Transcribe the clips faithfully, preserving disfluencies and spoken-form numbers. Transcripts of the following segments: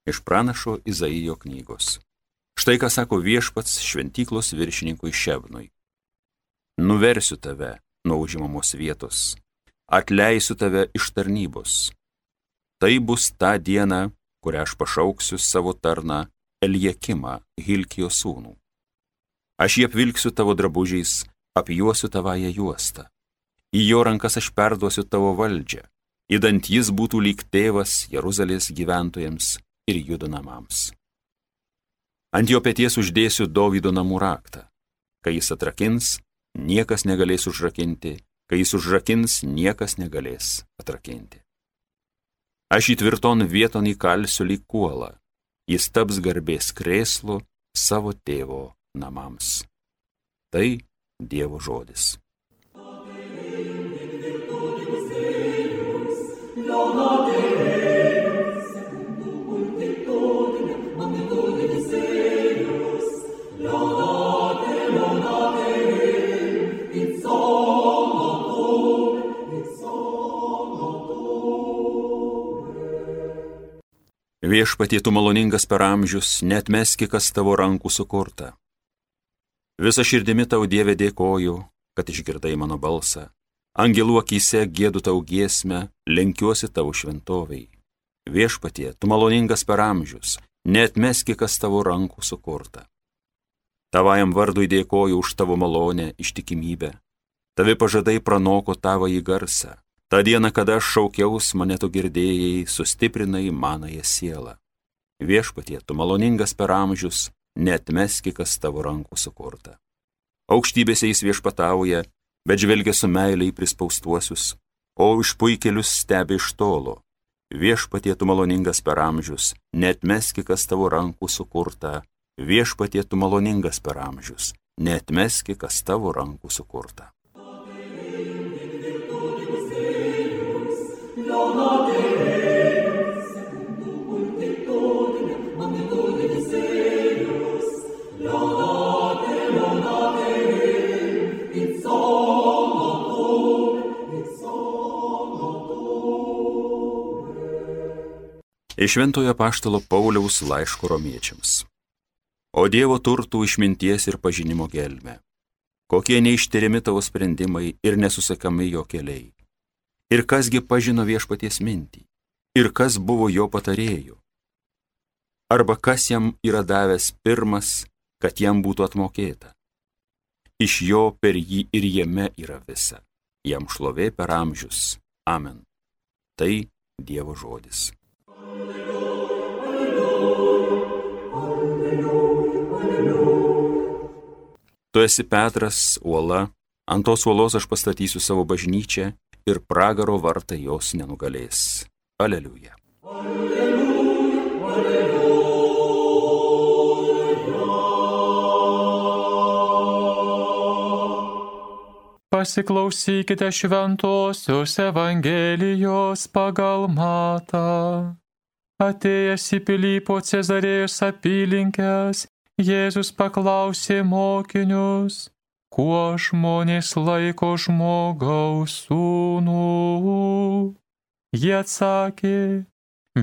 Iš pranašo Izaijo knygos. Štai ką sako viešpats šventyklos viršininkui Šebnui. Nuversiu tave nuo užimamos vietos, atleisiu tave iš tarnybos. Tai bus ta diena, kurią aš pašauksiu savo tarną Eliakimą, Hilkijo sūnų. Aš jį apvilksiu tavo drabužiais, apjuosiu tavąją juostą. Į jo rankas aš perduosiu tavo valdžią, idant jis būtų lyg tėvas Jeruzalės gyventojams ir Judo namams. Ant jo peties uždėsiu Dovydo namų raktą. Kai jis atrakins, niekas negalės užrakinti, kai jis užrakins, niekas negalės atrakinti. Aš jį tvirton vieton įkalsiu lyg kuolą, jis taps garbės krėslu savo tėvo namams. Tai Dievo žodis. Viešpatie, tu maloningas per amžius, neatmeski, kas tavo rankų sukurta. Visa širdimi tau, Dieve, dėkoju, kad išgirdai mano balsą. Angelų akyse giedu tau giesmę, lenkiuosi tavo šventoviai. Viešpatie, tu maloningas per amžius, neatmeski, kas tavo rankų sukurta. Tavajam vardui dėkoju už tavo malonę, ištikimybę. Tavi pažadai pranoko tavąjį garsą. Ta diena, kada aš šaukiaus, mane tu girdėjai, sustiprinai manąją sielą. Viešpatie, tu maloningas per amžius, neatmeski, kas tavo rankų sukurta. Aukštybėse jis viešpatauja, bet žvelgia su meiliai prispaustuosius, o išpuikėlius stebi iš tolo. Viešpatie, tu maloningas per amžius, neatmeski, kas tavo rankų sukurta. Viešpatie, tu maloningas per amžius, neatmeski, kas tavo rankų sukurta. Iš Šventojo apaštalo Pauliaus laiško romiečiams. O Dievo turtų išminties ir pažinimo gelmę. Kokie neištiriami tavo sprendimai ir nesusakami jo keliai. Ir kasgi pažino viešpaties mintį, ir kas buvo jo patarėjų. Arba kas jam yra davęs pirmas, kad jam būtų atmokėta. Iš jo per jį ir jame yra visa. Jam šlovė per amžius. Amen. Tai Dievo žodis. Tu esi Petras, uola, ant tos uolos aš pastatysiu savo bažnyčią ir pragaro vartai jos nenugalės. Aleliuja. Aleliuja, aleliuja. Pasiklausykite šventosios Evangelijos pagal Matą. Atėjęs į Pilypo Cezarėjos apylinkes, Jėzus paklausė mokinius, kuo žmonės laiko žmogaus sūnų. Jie atsakė,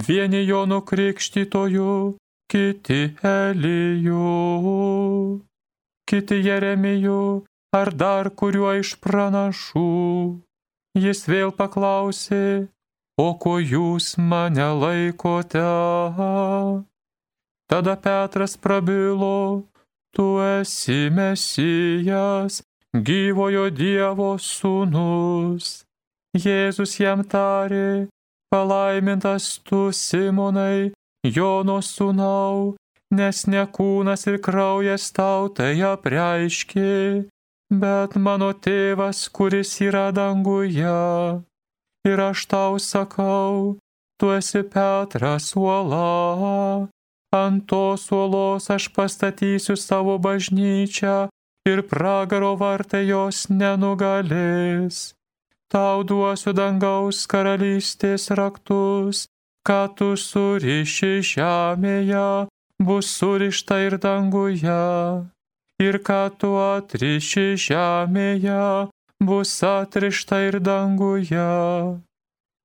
vieni Jonu Krikštytoju, kiti Eliju, kiti Jeremiju ar dar kuriuo iš pranašų. Jis vėl paklausė, o ko jūs mane laikote? Tada Petras prabilo, tu esi Mesijas, gyvojo Dievo sūnus. Jėzus jam tarė, palaimintas tu, Simonai, Jono sūnau, nes ne kūnas ir kraujas tau tai apreiškė, bet mano tėvas, kuris yra danguje. Ir aš tau sakau, tu esi Petras uola, ant tos uolos aš pastatysiu savo bažnyčią ir pragaro vartai jos nenugalės. Tau duosiu dangaus karalystės raktus, ką tu suriši žemėje, bus surišta ir danguje, ir ką tu atriši žemėje, bus atrišta ir danguje.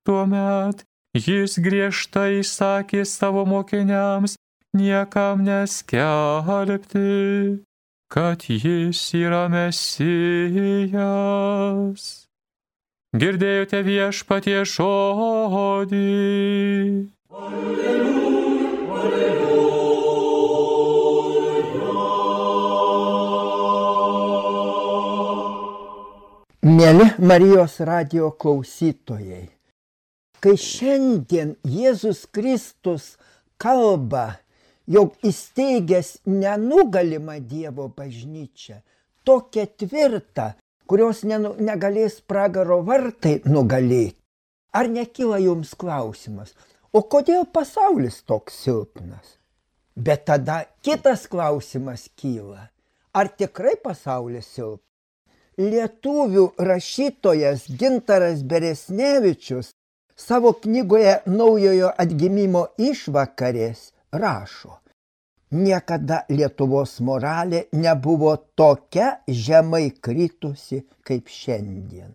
Tuomet Jis griežtai sakė savo mokiniams niekam neskelbti, kad jis yra Mesijas. Girdėjote viešpatie žodį. Mieli Marijos radijo klausytojai, kai šiandien Jėzus Kristus kalba, jog įsteigęs nenugalimą Dievo bažnyčią, tokią tvirtą, kurios negalės pragaro vartai nugalėti, ar nekyla jums klausimas, o kodėl pasaulis toks silpnas? Bet tada kitas klausimas kyla, ar tikrai pasaulis silpnas? Lietuvių rašytojas Gintaras Beresnevičius savo knygoje Naujojo atgimimo išvakarės rašo: niekada Lietuvos moralė nebuvo tokia žemai kritusi kaip šiandien.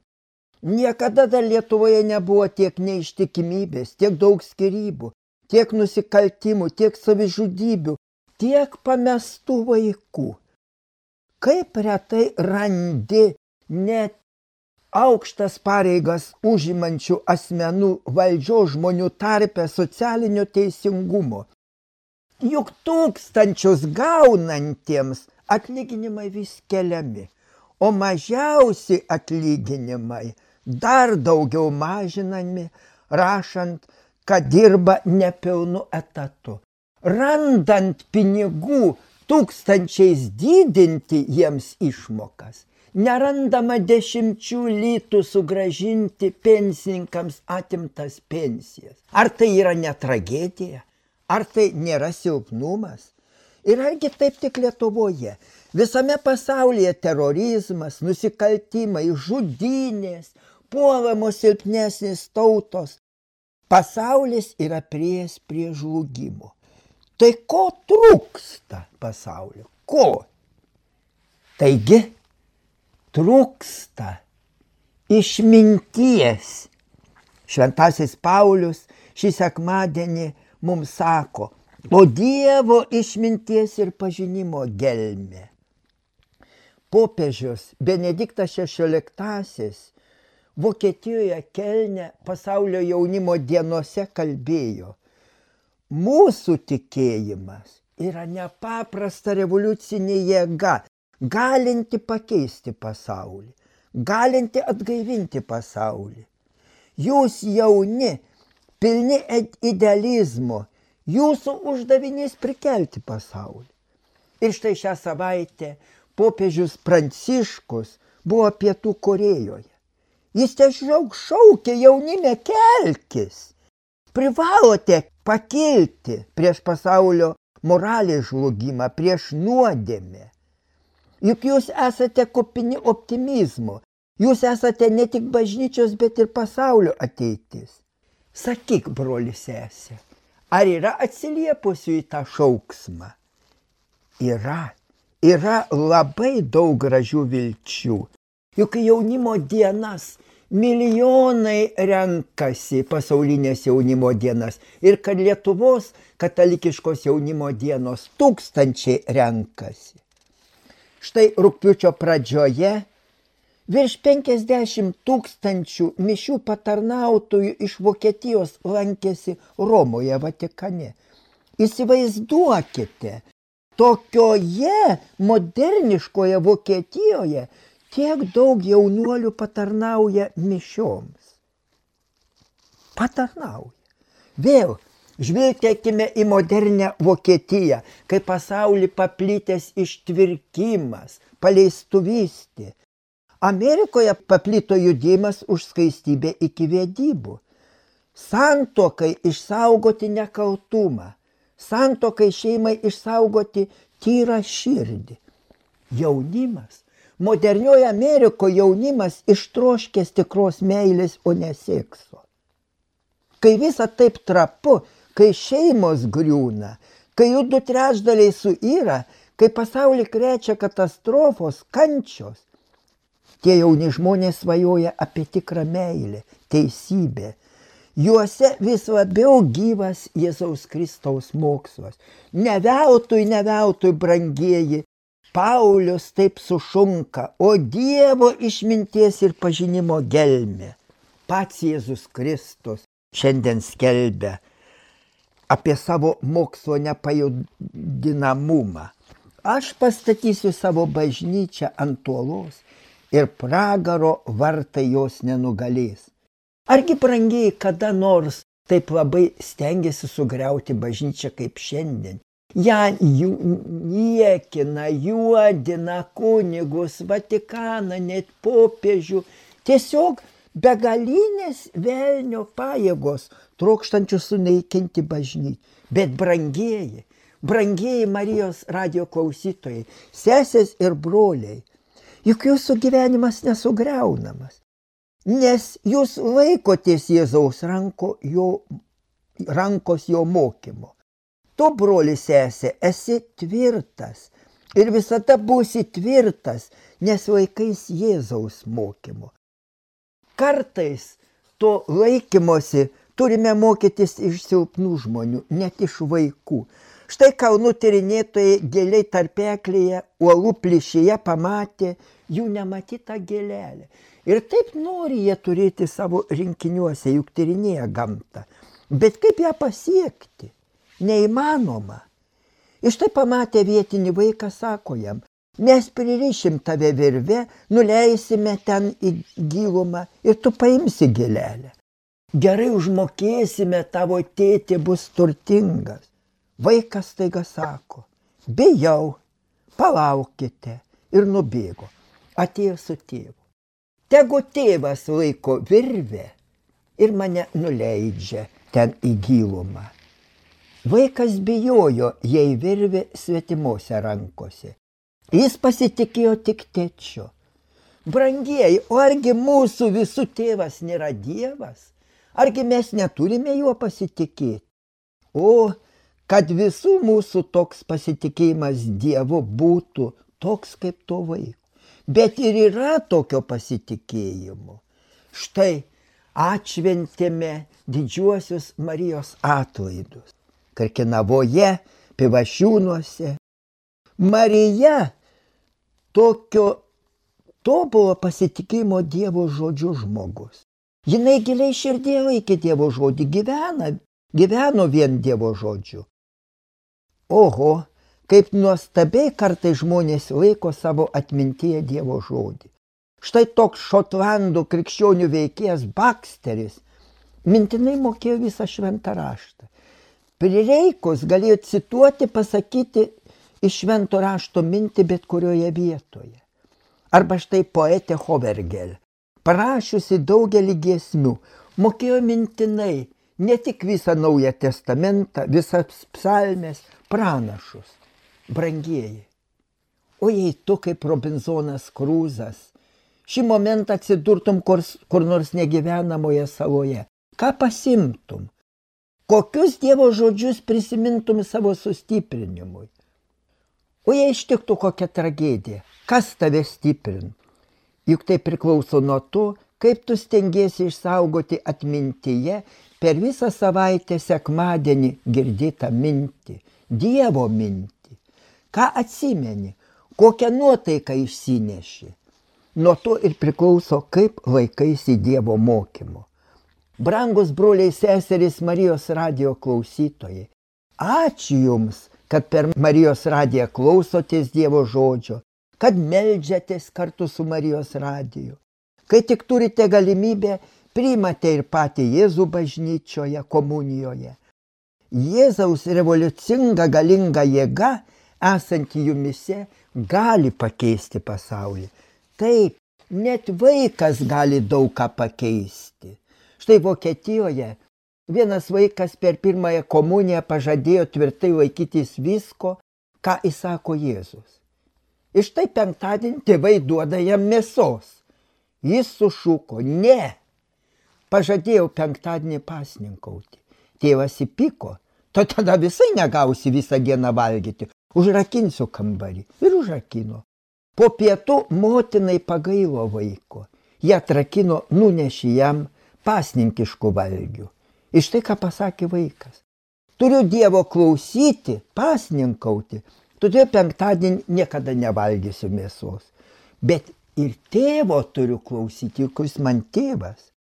Niekada dar Lietuvoje nebuvo tiek neištikimybės, tiek daug skyrybų, tiek nusikaltimų, tiek savižudybių, tiek pamestų vaikų. Kaip retai randi net aukštas pareigas užimančių asmenų valdžios žmonių tarpe socialinio teisingumo. Juk tūkstančius gaunantiems atlyginimai vis keliami, o mažiausi atlyginimai dar daugiau mažinami, rašant, kad dirba nepilnu etatu. Randant pinigų tūkstančiais didinti jiems išmokas, nerandama dešimčių litų sugrąžinti pensininkams atimtas pensijas. Ar tai yra ne tragedija? Ar tai nėra silpnumas? Ir argi taip tik Lietuvoje? Visame pasaulyje terorizmas, nusikaltimai, žudynės, puolamos silpnesnės tautos. Pasaulis yra priėjęs prie žlugimo. Tai ko trūksta pasaulio? Ko? Taigi, trūksta išminties. Šventasis Paulius šį sekmadienį mums sako: o Dievo išminties ir pažinimo gelmė. Popiežius Benediktas šešioliktasis Vokietijoje Kelne pasaulio jaunimo dienose kalbėjo: mūsų tikėjimas yra nepaprasta revoliucinė jėga, galinti pakeisti pasaulį, galinti atgaivinti pasaulį. Jūs jauni, pilni idealizmo, jūsų uždavinys prikelti pasaulį. Ir štai šią savaitę popiežius Pranciškus buvo Pietų Korėjoje. Jis tiesiog šaukė: jaunime, kelkis. Privalote pakilti prieš pasaulio moralės žlugimą, prieš nuodėmę. Juk jūs esate kupini optimizmo, jūs esate ne tik bažnyčios, bet ir pasaulio ateitis. Sakyk, broli sesė, ar yra atsiliepusių į tą šauksmą? Yra, yra labai daug gražių vilčių. Juk jaunimo dienas milijonai renkasi pasaulinės jaunimo dienas ir kad Lietuvos katalikiškos jaunimo dienos tūkstančiai renkasi. Štai rugpjūčio pradžioje virš penkiasdešimt tūkstančių mišių patarnautojų iš Vokietijos lankėsi Romoje, Vatikane. Įsivaizduokite, tokioje moderniškoje Vokietijoje tiek daug jaunuolių patarnauja mišioms. Patarnauja. Vėl žvilgtelkime į modernę Vokietiją, kai pasaulį paplitęs ištvirkimas, paleistuvystė. Amerikoje paplito judėjimas už skaistybę iki vedybų. Santuokai išsaugoti nekaltumą, santuokai šeimai išsaugoti tyrą širdį. Jaunimas. Modernioje Amerikoje jaunimas ištroškęs tikros meilės, o ne sekso. Kai visa taip trapu, kai šeimos griūna, kai jų du trečdaliai suyra, kai pasaulį krečia katastrofos, kančios, tie jauni žmonės svajoja apie tikrą meilę, teisybę. Juose vis labiau gyvas Jėzaus Kristaus mokslas. Ne veltui, ne veltui, brangieji, Paulius taip sušunka, o Dievo išminties ir pažinimo gelmė. Pats Jėzus Kristus šiandien skelbia apie savo mokslo nepajudinamumą. Aš pastatysiu savo bažnyčią ant uolos ir pragaro vartai jos nenugalės. Argi, brangieji, kada nors taip labai stengiasi sugriauti bažnyčią kaip šiandien? Ja niekina, juodina kunigus, Vatikaną, net popiežių. Tiesiog begalinės velnio pajėgos trokštančių sunaikinti bažnyčią. Bet brangieji, brangieji Marijos radijo klausytojai, sesės ir broliai, juk jūsų gyvenimas nesugriaunamas. Nes jūs laikotės Jėzaus ranko, jo, rankos jo mokymo. Tu, broli sesė, esi tvirtas ir visada būsi tvirtas, nes laikais Jėzaus mokymo. Kartais to laikymosi turime mokytis iš silpnų žmonių, net iš vaikų. Štai kalnų tyrinėtojai giliai tarpeklėje, uolų plyšyje pamatė jų nematytą gėlelę. Ir taip nori jie turėti savo rinkiniuose, juk tyrinėja gamtą. Bet kaip ją pasiekti? Neįmanoma. Ir štai pamatė vietinį vaiką, sako jam, mes pririšim tave virve, nuleisime ten į gilumą ir tu paimsi gėlelę. Gerai užmokėsime, tavo tėtė bus turtingas. Vaikas staiga sako, bijau, palaukite, ir nubėgo. Atėjo su tėvu. Tegu tėvas laiko virvę ir mane nuleidžia ten į gilumą. Vaikas bijojo, jei virvė svetimose rankose. Jis pasitikėjo tik tėčiu. Brangieji, o argi mūsų visų tėvas nėra Dievas? Argi mes neturime juo pasitikėti? O, kad visų mūsų toks pasitikėjimas Dievu būtų toks kaip to vaiko. Bet ir yra tokio pasitikėjimo. Štai atšventėme didžiuosius Marijos atlaidus. Karkinavoje, Pivašiūnuose. Marija tokio tobulo pasitikėjimo Dievo žodžiu žmogus. Jinai giliai širdėje laikė Dievo žodį, gyvena, gyveno vien Dievo žodžiu. Oho, kaip nuostabiai kartai žmonės laiko savo atmintyje Dievo žodį. Štai toks Šotlandų krikščionių veikėjas Baksteris mintinai mokėjo visą šventą raštą. Prireikus galėjo cituoti, pasakyti iš švento rašto mintį bet kurioje vietoje. Arba štai poetė Hovergel, parašiusi daugelį giesmių, mokėjo mintinai ne tik visą Naują testamentą, visas psalmes, pranašus. Brangieji, o jei tu kaip Robinzonas Kruzas šį momentą atsidurtum kur, kur nors negyvenamoje saloje, ką pasimtum? Kokius Dievo žodžius prisimintum savo sustiprinimui? O jei ištiktų kokia tragedija, kas tave stiprint? Juk tai priklauso nuo to, kaip tu stengiesi išsaugoti atmintyje per visą savaitę sekmadienį girdėtą mintį, Dievo mintį. Ką atsimeni, kokią nuotaiką išsineši? Nuo to ir priklauso, kaip laikaisi Dievo mokymo. Brangus broliai seserys Marijos radijo klausytojai, ačiū Jums, kad per Marijos radiją klausotės Dievo žodžio, kad meldžiatės kartu su Marijos radiju. Kai tik turite galimybę, priimate ir patį Jėzų bažnyčioje, komunijoje. Jėzaus revoliucinga galinga jėga, esanti jumise, gali pakeisti pasaulį. Taip, net vaikas gali daug ką pakeisti. Štai Vokietijoje vienas vaikas per pirmąją komuniją pažadėjo tvirtai laikytis visko, ką įsako Jėzus. Ir štai penktadienį tėvai duoda jam mėsos. Jis sušuko, ne, pažadėjau penktadienį pasninkauti. Tėvas įpyko, to tada visai negausi visą dieną valgyti, užrakinsiu kambarį. Ir užrakino. Po pietų motinai pagailo vaiko. Jie atrakino, nunešė jam pasninkiškų valgių. Iš tai, ką pasakė vaikas. Turiu Dievo klausyti, pasninkauti, todėl penktadienį niekada nevalgysiu mėsos. Bet ir tėvo turiu klausyti, juk jis man tėvas.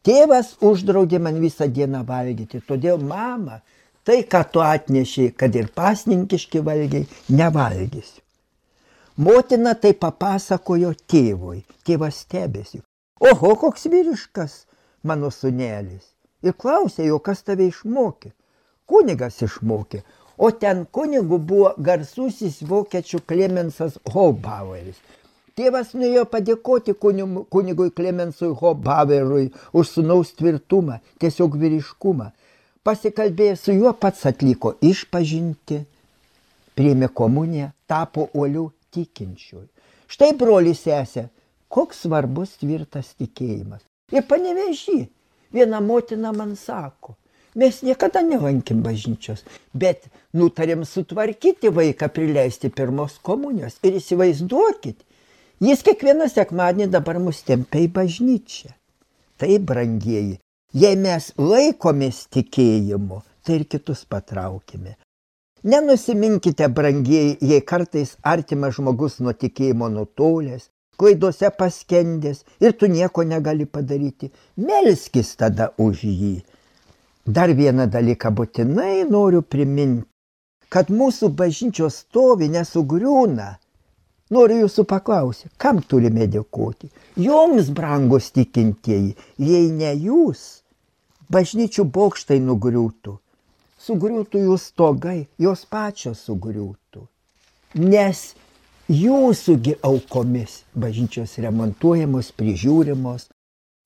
Tėvas uždraudė man visą dieną valgyti, todėl mama, tai, ką tu atnešiai, kad ir pasninkiški valgiai, nevalgysiu. Motina tai papasakojo tėvui, tėvas stebėsi. Oho, koks vyriškas mano sūnelis. Ir klausė jo, kas tave išmokė. Kunigas išmokė, o ten kunigu buvo garsusis vokiečių Klemensas Hobaueris. Tėvas nuėjo padėkoti kunigui Klemensui Hobauerui už sūnaus tvirtumą, tiesiog vyriškumą. Pasikalbėjo su juo, pats atliko išpažinti, priėmė komuniją, tapo uoliu tikinčiųjų. Štai broli sesė, koks svarbus tvirtas tikėjimas. Ir Panevėžy viena motina man sako, mes niekada nelankim bažnyčios, bet nutarėm sutvarkyti vaiką, prileisti pirmos komunijos. Ir įsivaizduokit, jis kiekvieną sekmadienį dabar mus tempia į bažnyčią. Tai, brangieji, jei mes laikomės tikėjimu, tai ir kitus patraukime. Nenusiminkite, brangieji, jei kartais artimas žmogus nuo tikėjimo nutolęs, klaidose paskendęs ir tu nieko negali padaryti. Melskis tada už jį. Dar vieną dalyką būtinai noriu priminti, kad mūsų bažnyčios stovi nesugriūna. Noriu jūsų paklausyti, kam turime dėkoti? Joms, brangus tikintieji, jei ne jūs, bažnyčių bokštai nugriūtų. Sugriūtų jų stogai, jos pačios sugriūtų. Nes jūsųgi aukomis bažnyčios remontuojamos, prižiūrimos.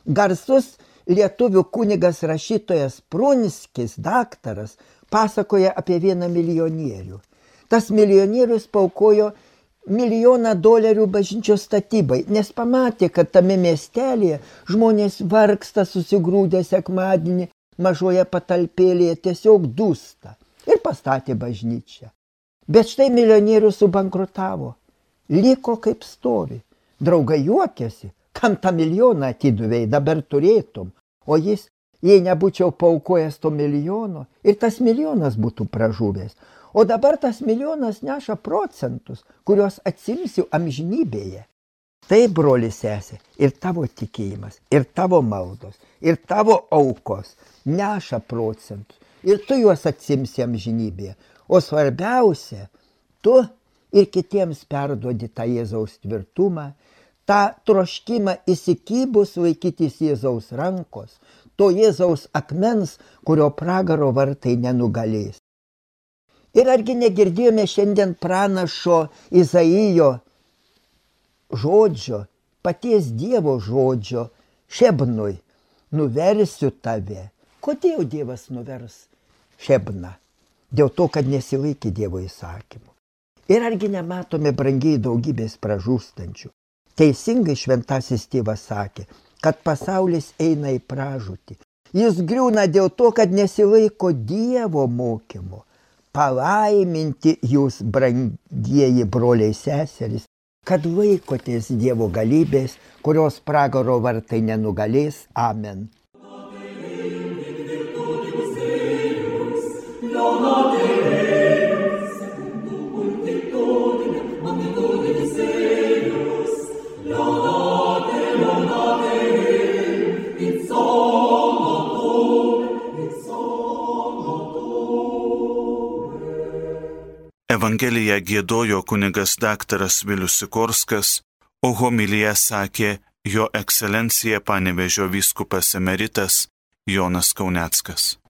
Garsus lietuvių kunigas rašytojas Prunskis, daktaras, pasakoja apie vieną milijonierių. Tas milijonierius paaukojo milijoną dolerių bažnyčios statybai, nes pamatė, kad tame miestelėje žmonės vargsta susigrūdę sekmadienį, mažoje patalpėlėje tiesiog dūsta ir pastatė bažnyčią. Bet štai milijonierius subankrutavo, liko kaip stovi. Draugai juokėsi, kam tą milijoną atiduvėjai, dabar turėtum, o jis, jei nebūčiau paaukojęs to milijono, ir tas milijonas būtų pražuvęs. O dabar tas milijonas neša procentus, kuriuos atsimsiu amžinybėje. Tai, broli sesė, ir tavo tikėjimas, ir tavo maldos, ir tavo aukos neša procentus, ir tu juos atsimsi amžinybėje. O svarbiausia, tu ir kitiems perduodi tą Jėzaus tvirtumą, tą troškimą įsikibus laikytis Jėzaus rankos, to Jėzaus akmens, kurio pragaro vartai nenugalės. Ir argi negirdėjome šiandien pranašo Izaijo žodžio, paties Dievo žodžio, Šebnui, nuversiu tave. Kodėl Dievas nuvers Šebną? Dėl to, kad nesilaikė Dievo įsakymų. Ir argi nematome, brangiai, daugybės pražūstančių. Teisingai šventasis tėvas sakė, kad pasaulis eina į pražūtį. Jis griūna dėl to, kad nesilaiko Dievo mokymo. Palaiminti jūs, brangieji broliai seserys, kad laikotės Dievo galybės, kurios pragaro vartai nenugalės. Amen. Evangeliją giedojo kunigas daktaras Vilius Sikorskas, o homiliją sakė jo ekscelencija Panevėžio vyskupas emeritas Jonas Kauneckas.